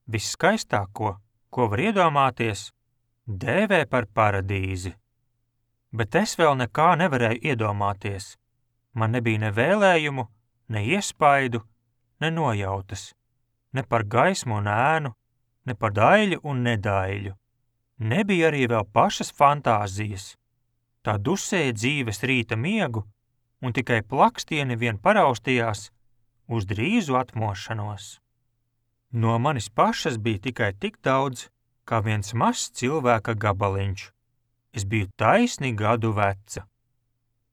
Visskaistāko, ko var iedomāties, dēvē par paradīzi. Bet es vēl nekā nevarēju iedomāties. Man nebija ne vēlējumu, ne iespaidu, ne nojautas, ne par gaismu un ēnu, ne par daļu un nedaiļu. Nebija arī vēl pašas fantāzijas. Tā dusēja dzīves rīta miegu, un tikai plakstieni vien paraustījās uz drīzu atmošanos. No manis pašas bija tikai tik daudz, kā viens mazs cilvēka gabaliņš. Es biju taisni gadu veca.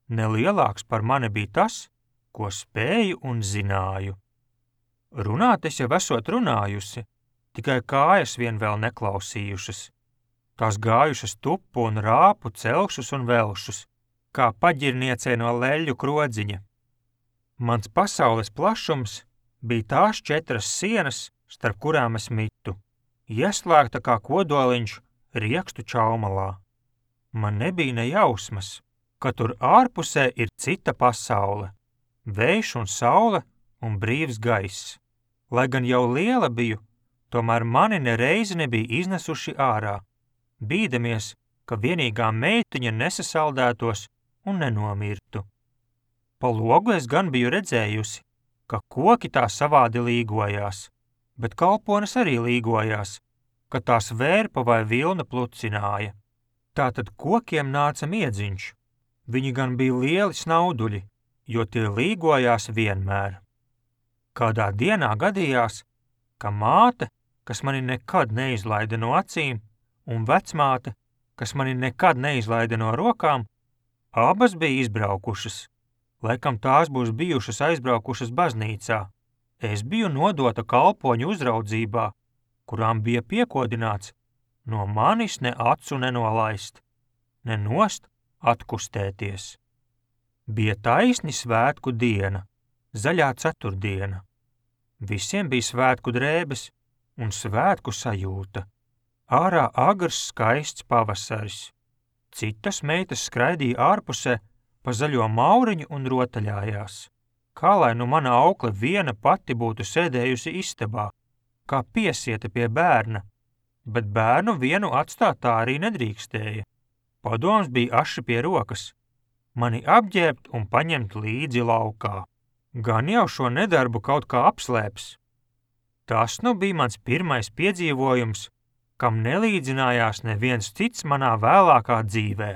Nelielāks par mani bija tas, ko spēju un zināju. Runāt es jau esot runājusi, tikai kājas vien vēl neklausījušas. Tās gājušas tupu un rāpu celšus un velšus, kā paģirniecei no leļu krodziņa. Mans pasaules plašums bija tās 4 sienas, starp kurām es mitu, ieslēgta kā kodoliņš riekstu čaumalā. Man nebija ne jausmas, ka tur ārpusē ir cita pasaule, vējš un saule un brīvs gaiss. Lai gan jau liela biju, tomēr mani nereizi nebija iznesuši ārā, bīdamies, ka vienīgā meitiņa nesasaldētos un nenomirtu. Pa logu es gan biju redzējusi, ka koki tā savādi līgojās, bet kalpones arī līgojās, ka tās vērpa vai vilna plucināja. Tātad kokiem nāca miedziņš. Viņi gan bija lieli snauduļi, jo tie līgojās vienmēr. Kādā dienā gadījās, ka māte, kas mani nekad neizlaida no acīm, un vecmāte, kas mani nekad neizlaida no rokām, abas bija izbraukušas. Laikam tās būs bijušas aizbraukušas baznīcā. Es biju nodota kalpoņu uzraudzībā, kurām bija piekodināts no manis ne acu nenolaist, ne nost atkustēties. Bija taisni svētku diena, zaļā ceturtdiena. Visiem bija svētku drēbes un svētku sajūta. Ārā agrs skaists pavasaris. Citas meitas skraidīja ārpusē pa zaļo mauriņu un rotaļājās. Kā lai nu mana aukle viena pati būtu sēdējusi istabā, kā piesieta pie bērna, bet bērnu vienu atstāt tā arī nedrīkstēja. Padoms bija aši pie rokas, mani apģērbt un paņemt līdzi laukā. Gan jau šo nedarbu kaut kā apslēps. Tas nu bija mans pirmais piedzīvojums, kam nelīdzinājās neviens cits manā vēlākā dzīvē.